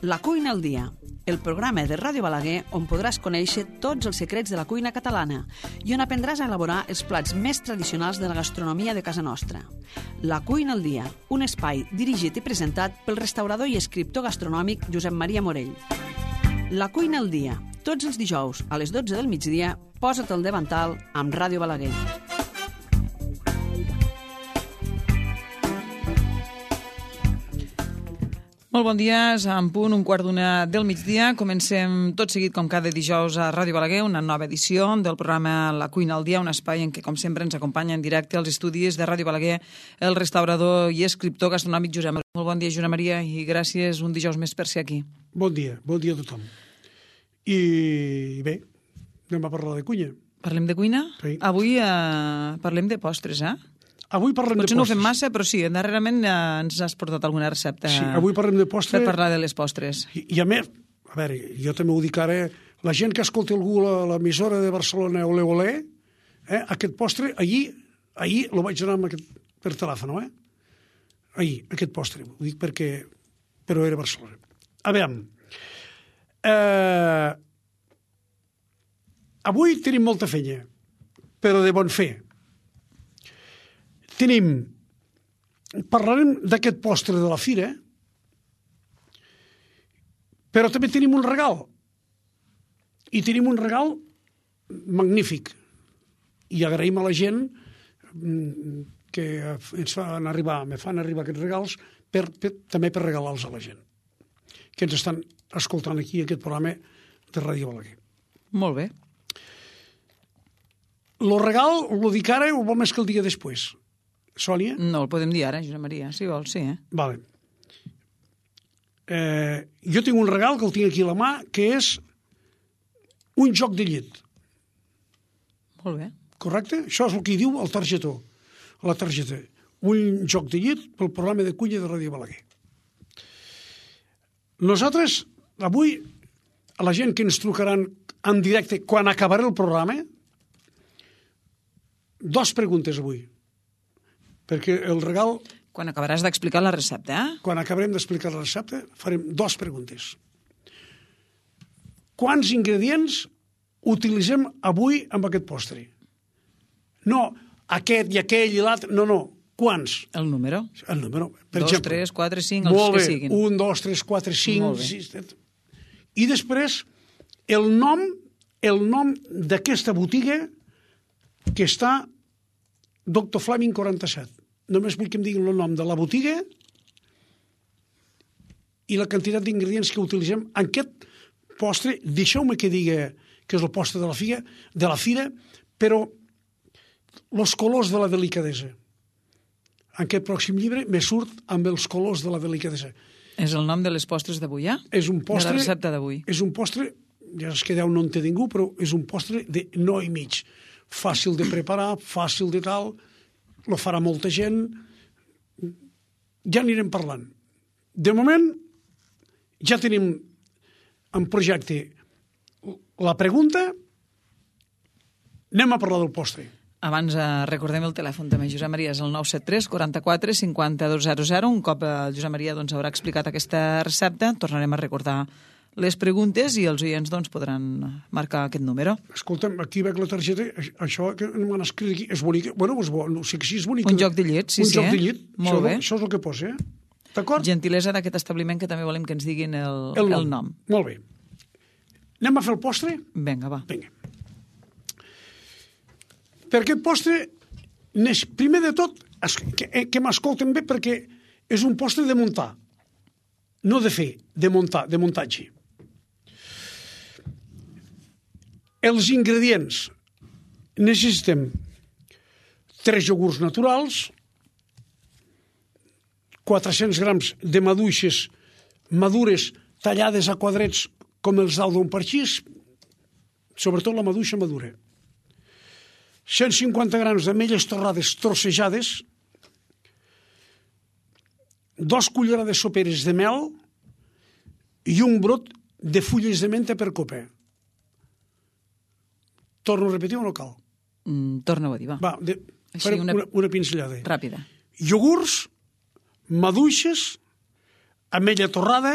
La cuina al dia, el programa de Ràdio Balaguer on podràs conèixer tots els secrets de la cuina catalana i on aprendràs a elaborar els plats més tradicionals de la gastronomia de casa nostra. La cuina al dia, un espai dirigit i presentat pel restaurador i escriptor gastronòmic Josep Maria Morell. La cuina al dia, tots els dijous a les 12 del migdia, posa't el davantal amb Ràdio Balaguer. Molt bon dia, és en punt, 1:15 del migdia. Comencem tot seguit, com cada dijous, a Ràdio Balaguer, una nova edició del programa La cuina al dia, un espai en què, com sempre, ens acompanya en directe als estudis de Ràdio Balaguer el restaurador i escriptor gastronòmic Josep Maria. Molt bon dia, Josep Maria, i gràcies un dijous més per ser aquí. Bon dia a tothom. I bé, anem a parlar de cuina. Parlem de cuina? Sí. Avui parlem de postres, eh? Avui parlem de postres. Potser no ho fem massa, però sí, darrerament ens has portat alguna recepta. Sí, avui parlem de postres. Per parlar de les postres. I a més, a veure, jo també ho dic ara, la gent que escolta algú a l'emissora de Barcelona, olé, aquest postre, ahir lo vaig donar per telèfon, Ahir, aquest postre, ho dic perquè... Però era Barcelona. A veure, avui tenim molta feina, però de bon fer. Parlarem d'aquest postre de la fira, però també tenim un regal. I tenim un regal magnífic. I agraïm a la gent que me fan arribar aquests regals també per regalar-los a la gent que ens estan escoltant aquí aquest programa de Ràdio Balaguer. Molt bé. El regal, ho dic ara o vol més que el dia després? Sònia? No, el podem dir ara, Josep Maria, si vols, sí. Vale. Jo tinc un regal que el tinc aquí a la mà, que és un joc de llet. Molt bé. Correcte? Això és el que hi diu el targetó, la targeta. Un joc de llet pel programa de cuina de Ràdio Balaguer. Nosaltres, avui, a la gent que ens trucaran en directe quan acabarà el programa, 2 preguntes avui. Perquè el regal... Quan acabaràs d'explicar la recepta, Quan acabarem d'explicar la recepta, farem 2 preguntes. Quants ingredients utilitzem avui amb aquest postre? No aquest i aquell i l'altre, no. Quants? El número. El número. Per 2, exemple, 3, 4, 5, els que siguin. 1, 2, 3, 4, 5, 6, 7... I després, el nom d'aquesta botiga que està Dr. Fleming 47. Només vull que em diguin el nom de la botiga i la quantitat d'ingredients que utilitzem en aquest postre. Deixeu-me que digui que és el postre de la fira, però els colors de la delicadesa. En aquest pròxim llibre me surt amb els colors de la delicadesa. És el nom de les postres d'avui, És un postre... De la recepta d'avui. És un postre, ja es quedeu, no en té ningú, però és un postre de no i mig. Fàcil de preparar, fàcil de tal, lo farà molta gent. Ja anirem parlant. De moment, ja tenim en projecte la pregunta. Anem a parlar del postre. Abans recordem el telèfon també, Josep Maria, és el 973 44 5200. Un cop el Josep Maria haurà explicat aquesta recepta, tornarem a recordar les preguntes i els oients podran marcar aquest número. Escolta'm, aquí veig la targeta, això que m'han escrit aquí, és bonic. Bueno, és bo, no sé que sí és bonic. Un joc de llet, sí. Un joc de llet, Molt bé. Això és el que posa, D'acord? Gentilesa d'aquest establiment que també volem que ens diguin el nom. Molt bé. Anem a fer el postre? Vinga, va. Vinga. Per aquest postre, primer de tot, que m'escolten bé, perquè és un postre de muntar. No de fer, de muntar, de muntatge. Els ingredients. Necessitem 3 iogurts naturals, 400 grams de maduixes madures tallades a quadrets com els dau d'un parxís, sobretot la maduixa madura. 150 grams d'ametlles torrades trossejades, 2 cullerades soperes de mel i un brot de fulles de menta per copa. Torno a repetir o no cal? Torna-ho a dir, va. Farem una pinzellada. Ràpida. Iogurts, maduixes, ametlla torrada,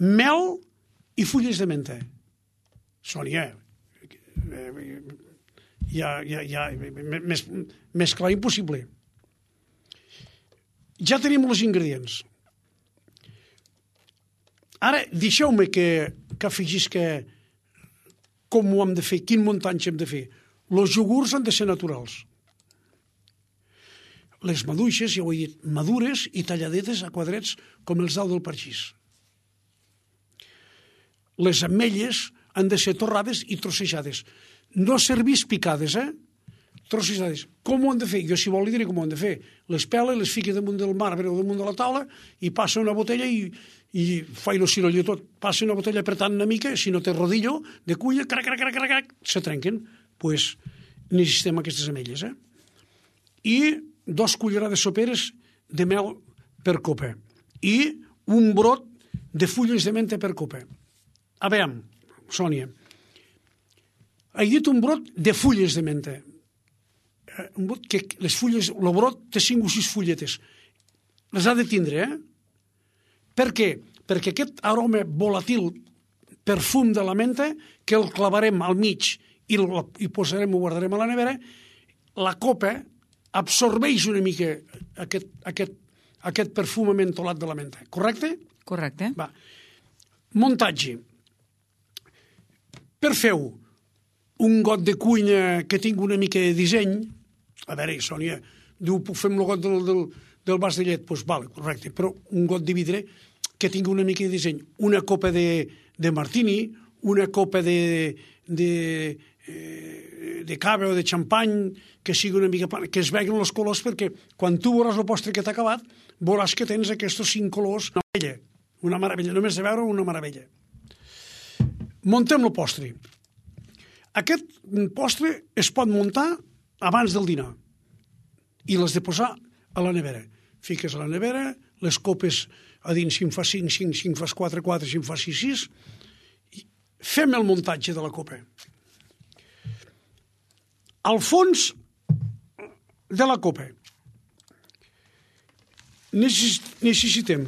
mel i fulles de menta. Sònia, més clar impossible. Ja tenim els ingredients. Ara, deixeu-me que afegisca com ho hem de fer, quin muntatge hem de fer. Els iogurts han de ser naturals. Les maduixes, ja ho he dit, madures i talladetes a quadrets com els daus del parxís. Les ametlles han de ser torrades i trossejades. No servís picades, trossejades. Com ho han de fer? Jo, si vol, li diré com ho han de fer. Les pela, les fica damunt del marbre o damunt de la taula i passa una botella i fa el cirolló tot. Passa una botella apretant una mica, si no té rodillo de culla, crac, crac, crac, crac, se trenquen. Doncs necessitem aquestes ametlles. I 2 cullerades soperes de mel per copa. I un brot de fulles de menta per copa. A veure, Sònia, he dit un brot de fulles de menta. Un brot que les fulles, el brot té 5 o 6 fulletes. Les ha de tindre, Per què? Perquè aquest aroma volatil, perfum de la menta, que el clavarem al mig i posarem, ho guardarem a la nevera, la copa absorbeix una mica aquest perfum mentolat de la menta. Correcte? Correcte. Va. Muntatge. Per fer-ho, un got de cuina que tingui una mica de disseny. A veure, Sònia, diu, puc fer amb el got del vas de llet? Doncs vale, correcte, però un got de vidre que tingui una mica de disseny. Una copa de martini, una copa de cava o de xampany, que sigui una mica... que es vegin els colors, perquè quan tu veuràs el postre que t'ha acabat, veuràs que tens aquests 5 colors. Una meravella, només de veure una meravella. Montem el postre. Aquest postre es pot muntar abans del dinar i l'has de posar a la nevera. Fiques a la nevera, les copes a dins, si en fas 5, 5, si en fas 4, 4, si en fas 6, 6. Fem el muntatge de la copa. Al fons de la copa necessitem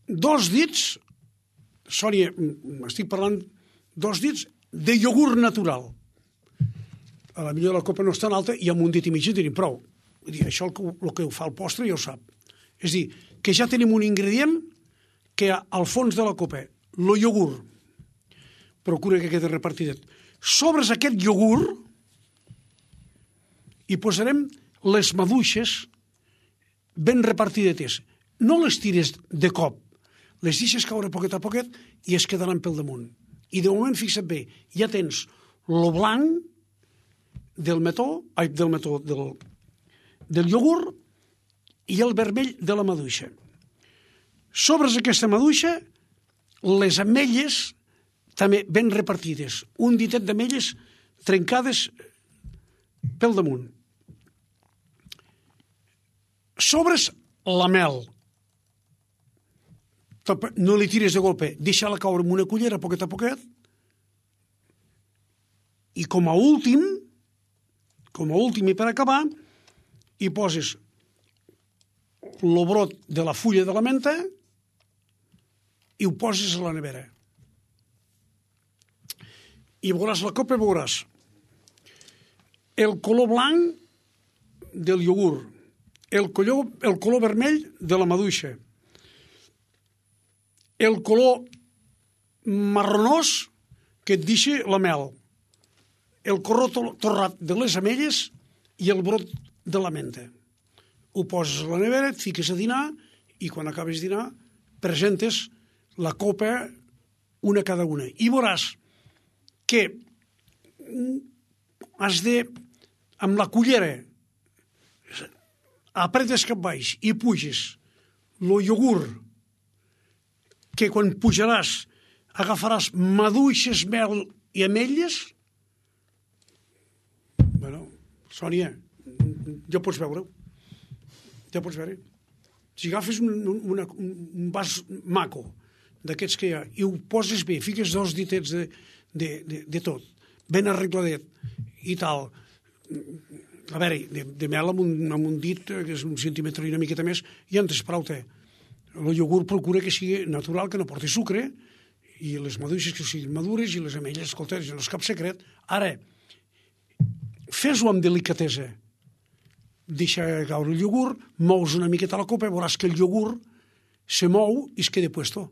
2 dits, Sònia, estic parlant 2 dits de iogurt natural. A la millor la copa no és tan alta i amb un dit i mig en tenim prou. Vull dir, això el que ho fa el postre ja ho sap. És dir, que ja tenim un ingredient que al fons de la copa, el iogurt, procura que quedi repartidet. Sobre aquest iogurt hi posarem les maduixes ben repartidetes. No les tires de cop, les deixes caure poquet a poquet i es quedaran pel damunt. I de moment, fixa't bé, ja tens el blanc del iogurt i el vermell de la maduixa. Sobre aquesta maduixa, les ametlles també ben repartides. Un ditet d'ametlles trencades pel damunt. Sobres la mel. No li tires de golpe, deixa-la caure amb una cullera a poquet, i com a últim i per acabar, hi poses el brot de la fulla de la menta i ho poses a la nevera. I veuràs la copa, veuràs el color blanc del iogurt, el color vermell de la maduixa, el color marronós que et deixa la mel, el color torrat de les ametlles i el brot de la menta. Ho poses a la nevera, et fiques a dinar i quan acabes de dinar presentes la copa una cada una. I veuràs que has de, amb la cullera, apretes cap baix i puges el iogurt, que quan pujaràs agafaràs maduixes, mel i ametlles. Bueno, Sònia, ja pots veure-ho. Ja pots veure. Si agafes un vas maco d'aquests que hi ha i ho poses bé, fiques 2 ditets de tot, ben arregladet i tal, a veure, de mel amb un dit, que és un centímetre i una miqueta més, i en tens prou té. El iogurt procura que sigui natural, que no porti sucre, i les maduixes que siguin madures, i les ametlles, escolta, no és cap secret. Ara, fes-ho amb delicatesa. Deixa caure el iogurt, mous una miqueta la copa, veuràs que el iogurt se mou i es queda puesto.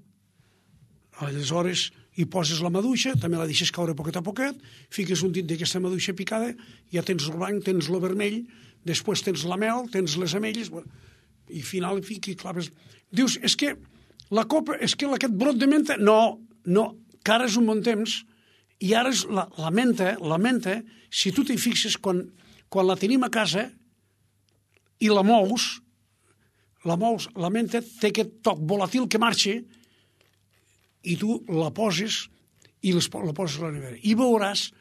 Aleshores, hi poses la maduixa, també la deixes caure poquet a poquet, fiques un dit d'aquesta maduixa picada, ja tens el blanc, tens el vermell, després tens la mel, tens les ametlles, i al final claves. Dius, és que la copa, és que aquest brot de menta, no, que ara és un bon temps, i ara és la menta, si tu t'hi fixes, quan la tenim a casa i la mous, la menta té aquest toc volatil que marxa, i tu la poses i la poses a la nevera. I veuràs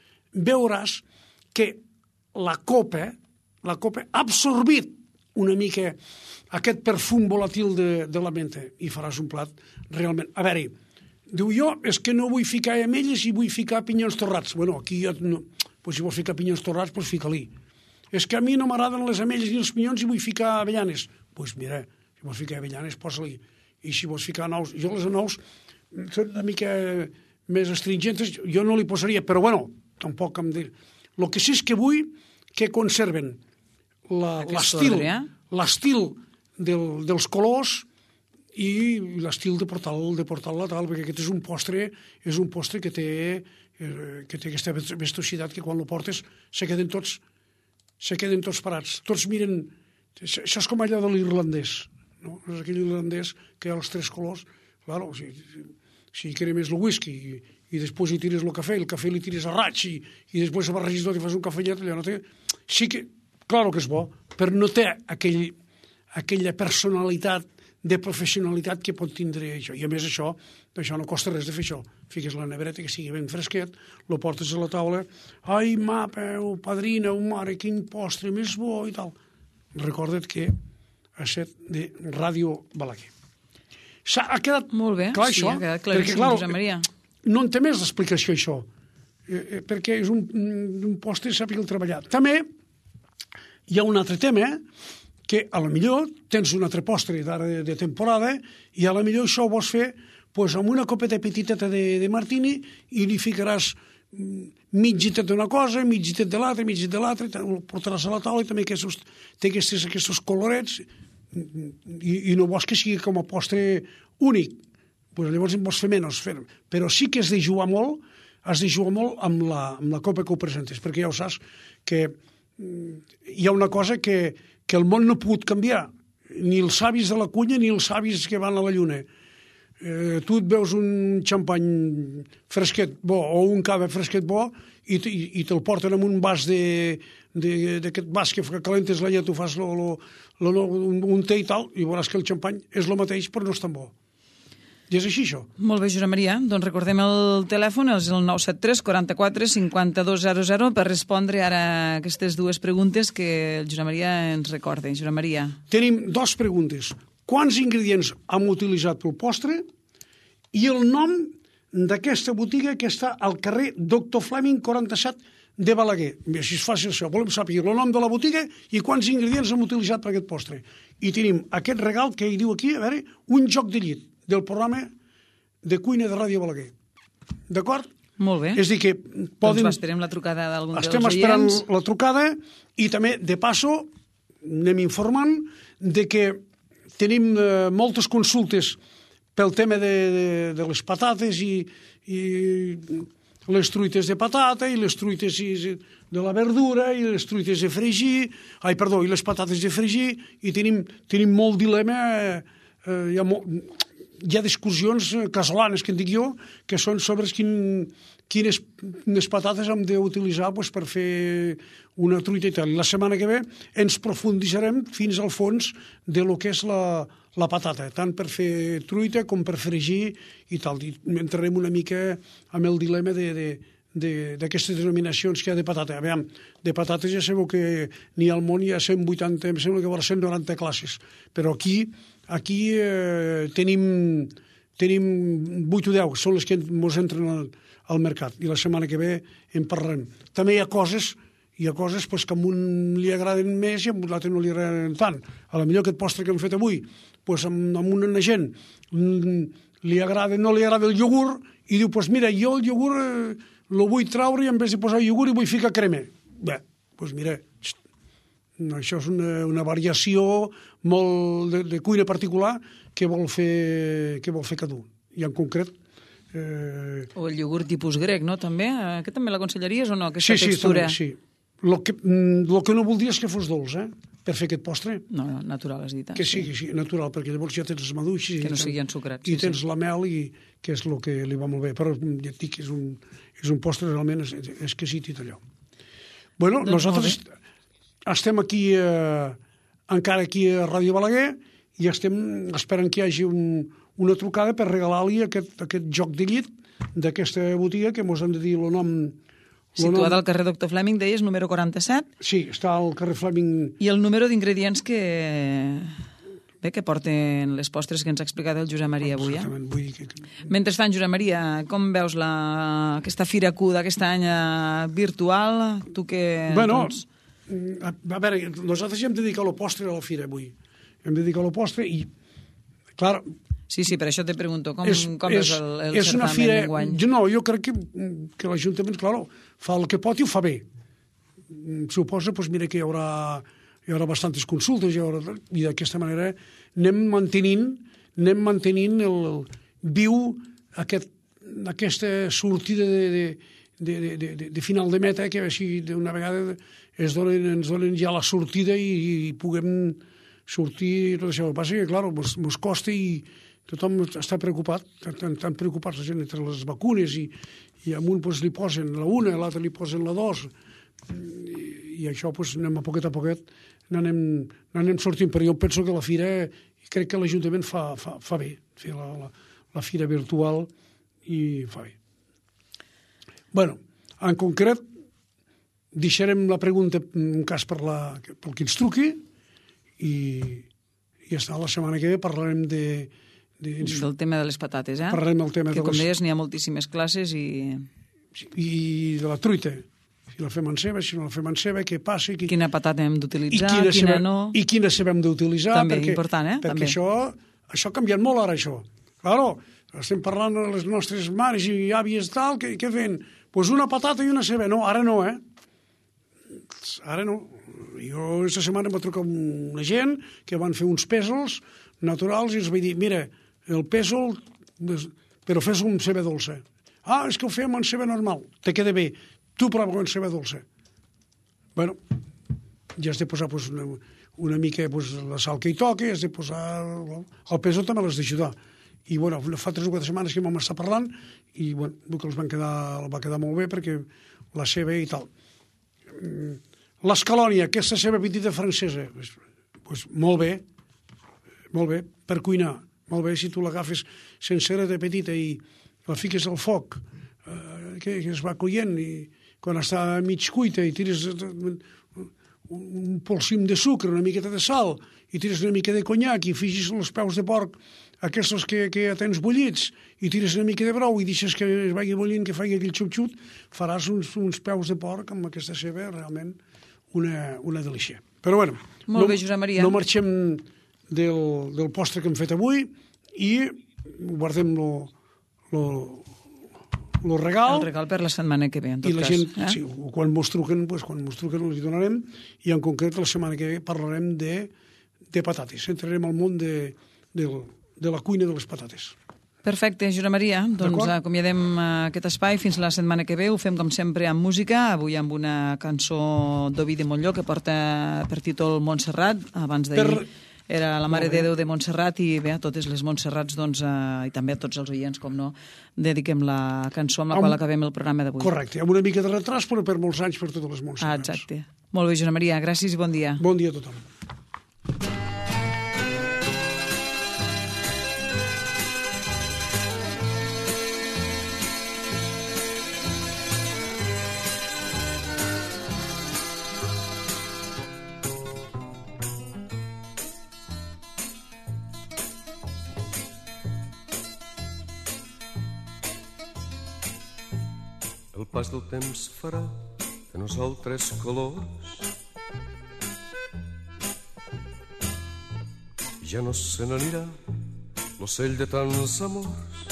que la copa ha absorbit una mica aquest perfum volatil de la menta i faràs un plat realment... A veure, diu jo, és que no vull ficar ametlles i vull ficar pinyons torrats. Bueno, aquí ja no... Pues si vols ficar pinyons torrats, pues fica-li. És que a mi no m'agraden les ametlles ni els pinyons i vull ficar avellanes. Pues mira, si vols ficar avellanes, posa-li. I si vols ficar nous... Jo les nous són una mica més astringentes, jo no li posaria, però bueno, tampoc em dir... El que sí és que vull que conserven l'estil dels colors i l'estil de portar-la tal, perquè aquest és un postre que té aquesta vistositat que quan lo portes se queden tots parats. Tots miren... Això és com allò de l'irlandès, no? És aquell irlandès que hi ha els tres colors. Claro, si cremes el whisky i després hi tires el cafè li tires a raig i després a barregis tot i fas un cafellet, allò no té... Sí que, claro que és bo, però no té aquella personalitat de professionalitat que pot tindre això. I a més això no costa res de fer això. Fiques la nevereta que sigui ben fresquet, lo portes a la taula, ai, mapeu, padrina, mare, quin postre més bo i tal. Recorda't que ha set de Ràdio Balaguer. Ha quedat molt bé, clar, sí, això? Ha quedat claríssim, Josep Maria. No en té més d'explicació, això, perquè és un postre i sàpiga el treballar. També hi ha un altre tema, que a lo millor tens un altre postre d'ara de temporada i a lo millor això ho vols fer amb una copeta petiteta de martini i li ficaràs mig gitet d'una cosa, mig gitet de l'altra, ho portaràs a la taula i també té aquests colorets i no vols que sigui com a postre únic. Llavors en vols fer menys, però sí que has de jugar molt amb la copa que ho presentes, perquè ja ho saps que hi ha una cosa que el món no ha pogut canviar, ni els savis de la cunya ni els savis que van a la lluna. Tu et veus un xampany fresquet bo o un cava fresquet bo i te'l porten en un vas d'aquest vas que calentes la llet, tu fas un té i tal, i veuràs que el xampany és el mateix però no és tan bo. I és així, això. Molt bé, Josep Maria. Doncs recordem el telèfon, és el 973 44 5200, per respondre ara aquestes dues preguntes que el Josep Maria ens recorda. Josep Maria. Tenim dues preguntes. Quants ingredients hem utilitzat pel postre i el nom d'aquesta botiga que està al carrer Doctor Fleming 47 de Balaguer. Així és fàcil això. Volem saber el nom de la botiga i quants ingredients hem utilitzat per aquest postre. I tenim aquest regal que hi diu aquí, a veure, un joc de llit del programa de cuina de Ràdio Balaguer. D'acord? Molt bé. És a dir que poden... Doncs esperem la trucada d'algun dels oients. Estem esperant la trucada i també, de passo, anem informant de que tenim moltes consultes pel tema de les patates i les truites de patata i les truites de la verdura i les truites de fregir, i les patates de fregir, i tenim molt dilema, hi ha discussions casolanes, que en dic jo, que són sobre quines patates hem d'utilitzar per fer una truita i tal. La setmana que ve ens profunditzarem fins al fons de lo que és la patata, tant per fer truita com per fregir i tal. I entrarem una mica amb el dilema d'aquestes denominacions que hi ha de patata. Aviam, de patates ja sabeu que n'hi ha al món, hi ha 180, em sembla que hi ha 190 classes, però aquí tenim 8 o 10, són les que ens entren al mercat, i la setmana que ve en parlarem. També hi ha coses, hi ha coses pues, que a un li agraden més i a l'altre no li agraden tant. A la millor aquest postre que hem fet avui, pues, amb una gent li agrada, no li agrada el iogurt i diu, pues mira, jo el iogurt lo vull traure i en vez de posar iogurt i vull ficar crema. Bé, pues mira, això és una variació molt de cuina particular que vol fer cada un. I en concret... O el iogurt tipus grec, no? També? Aquest també l'aconsellaries o no, aquesta textura? Sí, sí. El que no voldria és que fos dolç, per fer aquest postre. No, natural, has dit. Que sigui natural, perquè llavors ja tens els maduixos... Que no sigui ensucrat. I tens la mel, que és el que li va molt bé. Però ja et dic que és un postre realment exquisit i allò. Bueno, nosaltres estem aquí, encara aquí a Ràdio Balaguer, i estem esperant que hi hagi una trucada per regalar-li aquest joc de llit d'aquesta botiga, que mos han de dir el nom... Situada al carrer Doctor Fleming, deies, número 47? Sí, està al carrer Fleming. I el número d'ingredients que porten les postres que ens ha explicat el Josep Maria avui. Mentrestant, Josep Maria, com veus aquesta Fira Q d'aquest any virtual? Tu què... Bueno, a veure, nosaltres ja hem dedicat el postre a la Fira avui. Hem dedicat el postre i, clar... Sí, per això te pregunto, com és el certamen d'enguany? Jo crec que l'Ajuntament, clar, fa el que pot i ho fa bé. Suposa, doncs mira, que hi haurà bastantes consultes i d'aquesta manera anem mantenint viu aquesta sortida de final de meta, que així d'una vegada ens donen ja la sortida i puguem sortir. Tot això. El que passa que, clar, ens costa i tothom està preocupat, estan preocupats la gent entre les vacunes i a un li posen la una, a l'altre li posen la dos, i això anem a poquet n'anem sortint. Però jo penso que la fira, crec que l'Ajuntament fa bé, fer la fira virtual, i fa bé. Bueno, en concret, deixarem la pregunta en cas pel que ens truqui, i ja està, la setmana que ve parlarem del tema de les patates, Parlarem del tema que, com deies, n'hi ha moltíssimes classes i de la truita. Si la fem en ceba, si no la fem en ceba, què passa? Quina patata hem d'utilitzar, quina no... I quina ceba hem d'utilitzar. També, important, Perquè això ha canviat molt ara, això. Claro, estem parlant de les nostres mares i àvies tal, què fem? Doncs una patata i una ceba. No, ara no, Ara no. Jo aquesta setmana em va trucar una gent que van fer uns pèsols naturals i els vaig dir, mira, el pèsol, però fes-ho amb ceba dolça. És que ho fem amb ceba normal. Te queda bé. Tu prova amb ceba dolça. Bueno, ja has de posar una mica la sal que hi toca, has de posar... El pèsol també l'has d'ajudar. I bueno, fa 3 o 4 setmanes que vam estar parlant i bueno, que va quedar molt bé perquè la ceba i tal. L'escalònia, aquesta ceba petita francesa, doncs molt bé, per cuinar, molt bé, si tu l'agafes sencera de petita i la fiques al foc, que es va coient, i quan està mig cuita i tires un polsim de sucre, una miqueta de sal, i tires una mica de conyac i fixis els peus de porc, aquests que ja tens bullits, i tires una mica de brou i deixes que es vagi bullint, que faci aquell xup-xut, faràs uns peus de porc amb aquesta ceba, realment una delícia. Però bueno, molt bé, Josep Maria. No marxem del postre que hem fet avui i guardem el regal. El regal per la setmana que ve, en tot cas. I la gent, sí, quan mos truquen els hi donarem, i en concret la setmana que ve parlarem de patates. Entrarem al món de la cuina de les patates. Perfecte, Josep Maria. Doncs acomiadem aquest espai fins la setmana que ve. Ho fem, com sempre, amb música. Avui amb una cançó d'Ovidi Montllor que porta per títol Montserrat. Abans d'ahir era la Mare de Déu de Montserrat, i bé, a totes les Montserrats, doncs, i també a tots els oients, com no, dediquem la cançó amb la qual acabem el programa d'avui. Correcte, amb una mica de retras, però per molts anys per totes les Montserrats. Exacte. Molt bé, Josep Maria. Gràcies i bon dia. Bon dia a tothom. El pas del temps farà de nosaltres colors. Ja no se n'anirà l'ocell de tants amors.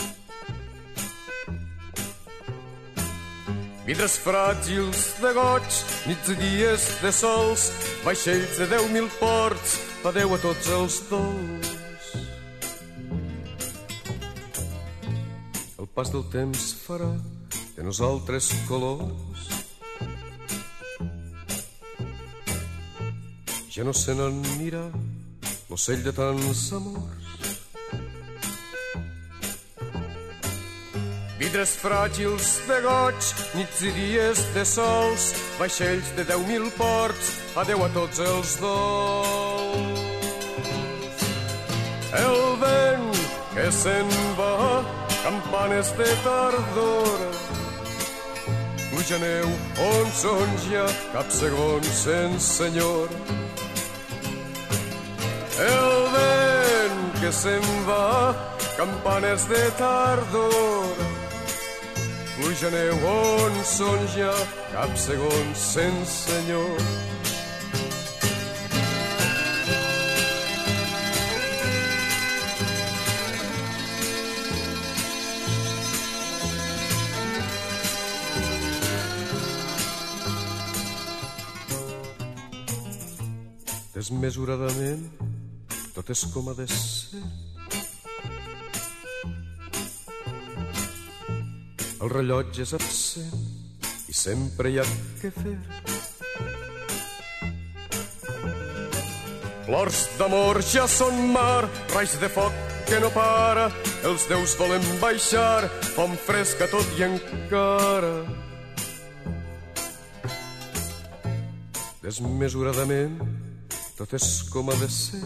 Vidres fràgils de goig, nits i dies de sols, vaixells de 10.000 ports, adeu a tots els dols. El pas del temps farà de nosaltres colors. Ja no se n'anirà l'ocell de tants amors. Vidres fràgils de goig, nits i dies de sols, vaixells de 10.000 ports, adeu a tots els dols. El vent que se'n va, campanes de tardor, pluja neu, on són ja, cap segon sense senyor. El vent que se'n va, campanes de tardor, pluja neu, on són ja, cap segon sense senyor. Desmesuradament, tot és com ha de ser. El rellotge és absent i sempre hi ha què fer. Plors d'amor ja són mar, raigs de foc que no para, els déus volen baixar, fam fresca tot i encara. Desmesuradament, tot és com ha de ser.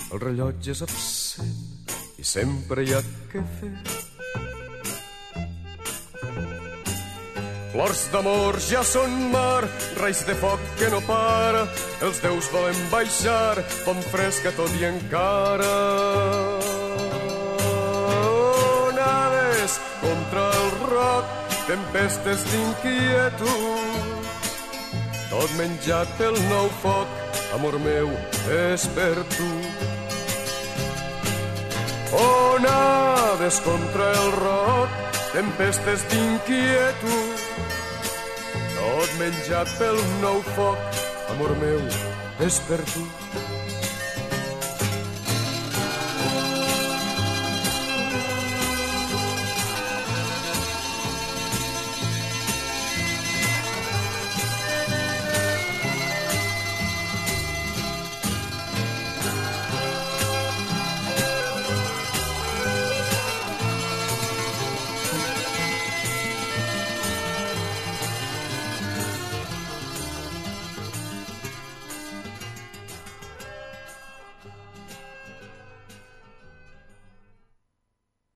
El rellotge és absent i sempre hi ha què fer. Flors d'amor ja són mar, raigs de foc que no para, els déus volen baixar, fam fresca tot i encara. Onades contra el roc, tempestes d'inquietud, tot menjat pel nou foc, amor meu, és per tu. Onades contra el roc, tempestes d'inquietud, tot menjat pel nou foc, amor meu, és per tu.